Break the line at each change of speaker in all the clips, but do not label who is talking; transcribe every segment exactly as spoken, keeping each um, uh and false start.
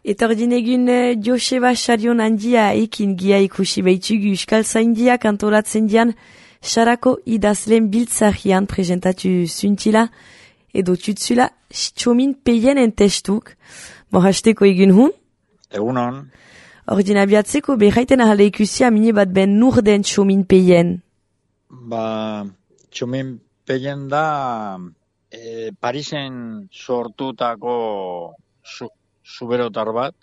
Eta ordin egun Joseba Xarion handia ekin gia ikusi behitugu Euskal Zaindiak antolatzen dian Sarako idazlen biltzarian presentatu zuntila edo tutzula Txomin Peien testuk. Bo hasteko egun hun?
Egun hon.
Ordin abiatzeko behaiten ahale ikusia mini bat ben nur den Txomin Peien.
Ba, Txomin Peien da e, Parisen sortutako su, zuberotar bat,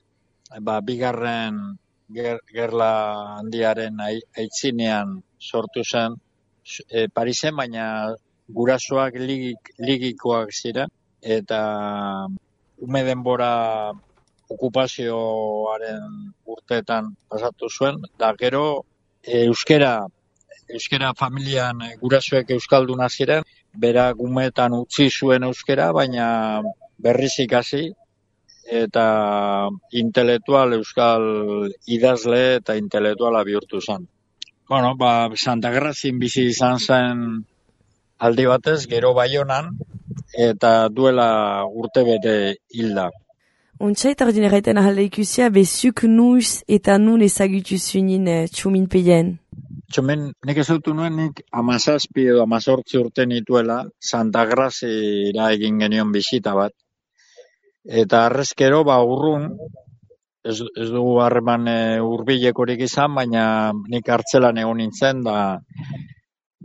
ba, bigarren ger, gerla handiaren aitzinean sortu zen e, Parisen, baina gurasoak ligik, ligikoak ziren, eta ume denbora okupazioaren urteetan pasatu zuen, da gero e, euskera, euskera familian gurasoek euskalduna ziren, berak umetan utzi zuen euskera, baina berriz ikasi, eta intelektual euskal idazle eta intelektuala bihurtu zen. Bueno, ba, Santa Grazin bizi izan zen aldi batez, gero Baionan, eta duela urte bete hilda.
Untsait ordin erraiten ahalde ikusia, bezuk nuz eta nun ezagutu zunin eh, Txomin Peien.
Txomin, nik ez dut nuen, nik amazazpi edo amazortzi urte nituela, Santa Grazira egin genion bisita bat. Eta arrezkero, ba, urrun, ez, ez dugu harreman e, hurbilekorik izan, baina nik hartzelan egon nintzen, da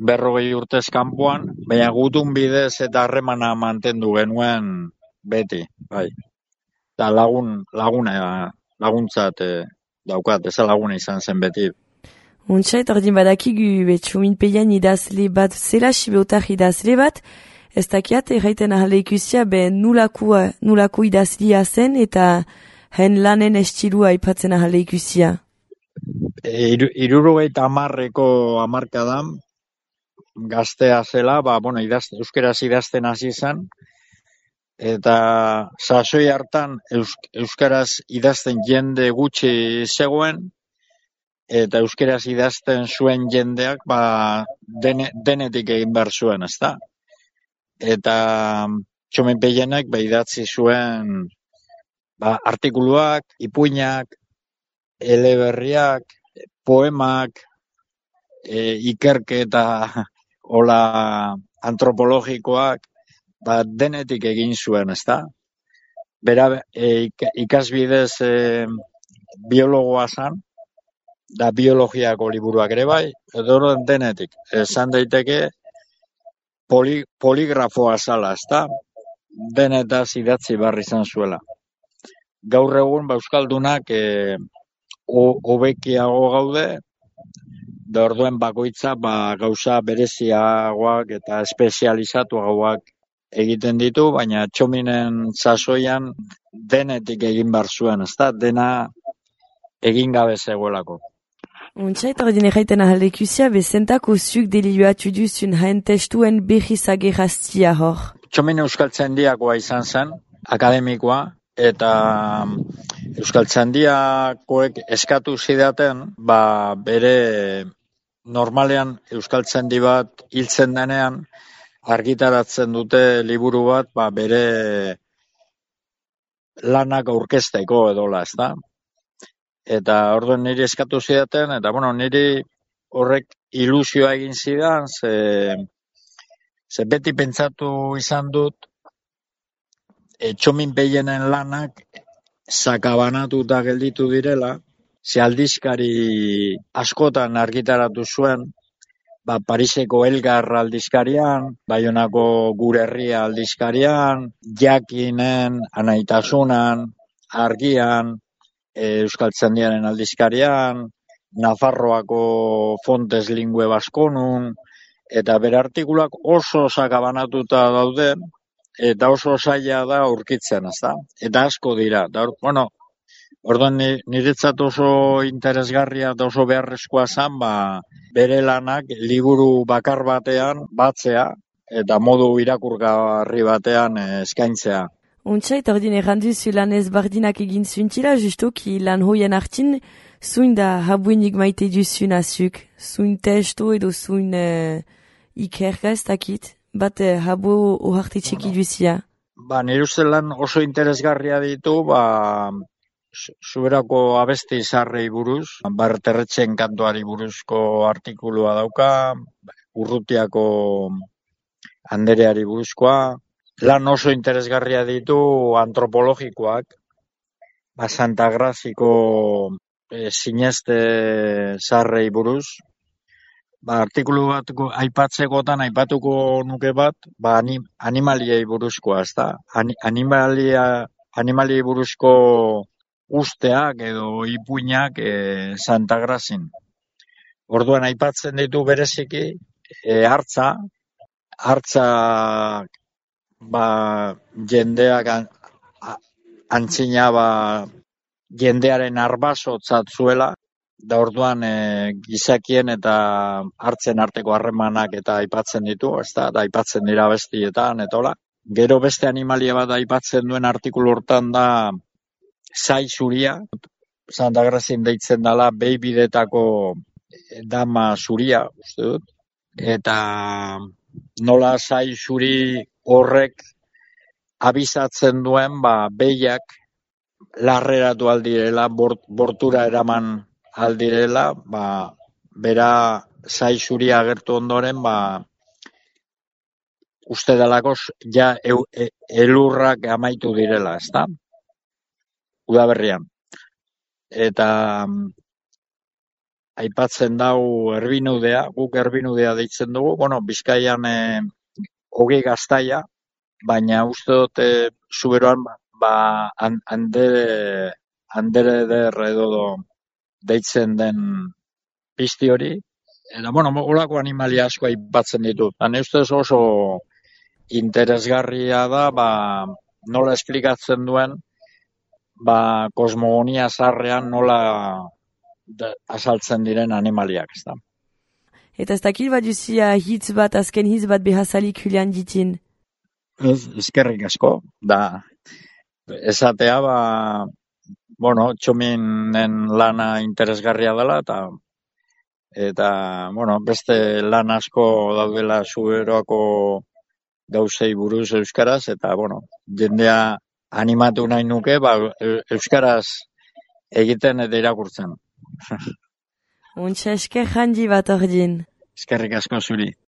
berrogei urtez kanpoan, baina gutun bidez eta harremana mantendu genuen beti, bai. Da lagun, laguna, laguntzat e, daukat, ez laguna izan zen beti.
Untsait ordin badakigu be Txomin Peien idazle bat, zela sibeotar idazle bat, ez dakiat erraiten ahale ikusia be nulako, nulako idazlia zen eta hen lanen estilua aipatzen ahale ikusia.
E, Irurogeita hamarreko hamarkadan, gaztea zela, ba, bueno, idazte, euskeraz idazten hasi zen, eta sasoi hartan eus, euskaraz idazten jende gutxi zegoen, eta euskeraz idazten zuen jendeak ba, dene, denetik egin behar zuen, ezta? Eta Txomin Peienek ba, idatzi zuen ba, artikuluak, ipuinak, eleberriak, poemak, e, ikerketa hola antropologikoak, ba, denetik egin zuen, ezta? Bera e, ikasbidez e, biologoa zan, da biologiako liburuak ere bai, edo denetik. Esan daiteke poli, poligrafoa zala, ezta? Denetaz idatzi barri izan zuela. Gaur egun ba, euskaldunak e, hobekiago gaude, da orduen bakoitza ba, gauza bereziagoak eta espezializatuagoak egiten ditu, baina Txominen sasoian denetik egin behar zuen, ezta? Dena egin gabe zegoelako.
Untsait ordin erraiten ahalde ikusia, bezentako zuk delioatu duzun haen testuen behizage rastia hor.
Txomin Euskaltzaindiakoa izan zen, akademikoa, eta Euskaltzaindiakoek eskatu zidaten, ba, bere normalean Euskaltzaindi bat hiltzen denean, argitaratzen dute liburu bat, ba, bere lanak aurkezteko edola, ezta? Eta orduan niri eskatu zidaten, eta bueno, niri horrek ilusioa egin zidan, ze, ze beti pentsatu izan dut, e, Txomin Peienen lanak sakabanatuta gelditu direla, ze aldizkari askotan argitaratu zuen, ba, Pariseko Elgar aldizkarian, Baionako Gure Herria aldizkarian, Jakinen, Anaitasunan, Argian, e, Euskaltzaindiaren aldizkarian, Nafarroako Fontes Lingue Baskonun, eta bere artikulak oso sakabanatuta daude, eta oso zaila da aurkitzen, ezta? Eta asko dira. Da, bueno, orduan niretzat oso interesgarria eta oso beharrezkoa zen, ba, bere lanak liburu bakar batean batzea eta modu irakurgarri batean eskaintzea.
Untsait ordin erranduzu lan ezbardinak egin zuntila, justoki lan hoien hartin, zuin da habuenik maite duzun azuk, zuin testo edo zuin uh, ikerga ez dakit, bat uh, habu ohartitxeki duzia.
Ba, nire uste lan oso interesgarria ditu, ba, Zuberako abesti zarrei buruz, Barterretxen kantuari buruzko artikulua dauka, Urrutiako Andereari buruzkoa, lan oso interesgarria ditu antropologikoak, ba, Santa Graziko e, sineste zarrei buruz, ba, artikulu bat aipatzekotan aipatuko nuke bat, ba, anim, animaliei buruzkoa, ezta? Ani, animalia, animaliei buruzko usteak edo ipuinak e, Santa Grazin. Orduan aipatzen ditu bereziki e, hartza, hartza ba, jendeak an, antzina ba, jendearen arbasotzat zuela, da orduan e, gizakien eta hartzen arteko harremanak eta aipatzen ditu, ezta, da aipatzen dira bestietan etola. Gero beste animalia bat aipatzen duen artikulu hortan da zai zuria, Santa Grazin deitzen dela behibidetako dama zuria, uste dut, eta nola zai zuri horrek abizatzen duen, ba, behiak larreratu aldirela, bort, bortura eraman aldirela, ba, bera zai zuria agertu ondoren, ba, uste delako ja eu, e, elurrak amaitu direla, ezta? Udaberrian. Eta aipatzen dau erbinudea, guk erbinudea deitzen dugu, bueno, Bizkaian e, hogei gaztaia, baina uste dut e, zuberoan ba, andere, andere der edo deitzen den pizti hori, eta, bueno, holako animalia asko aipatzen ditut. Hane ustez oso interesgarria da, ba, nola esplikatzen duen, ba, kosmogonia zarrean nola da, azaltzen diren animaliak, ez da.
Eta ez dakil bat duzia hitz bat, azken hitz bat behazalik Julian ditin?
Ez, ezkerrik asko, da, esatea, ba, bueno, txominen lana interesgarria dela, eta, eta, bueno, beste lan asko daudela zuberoako gauzei buruz euskaraz, eta, bueno, jendea animatu nahi nuke, ba, euskaraz egiten eta irakurtzen.
Untxa esker handi bat ordin.
Eskerrik asko zuri.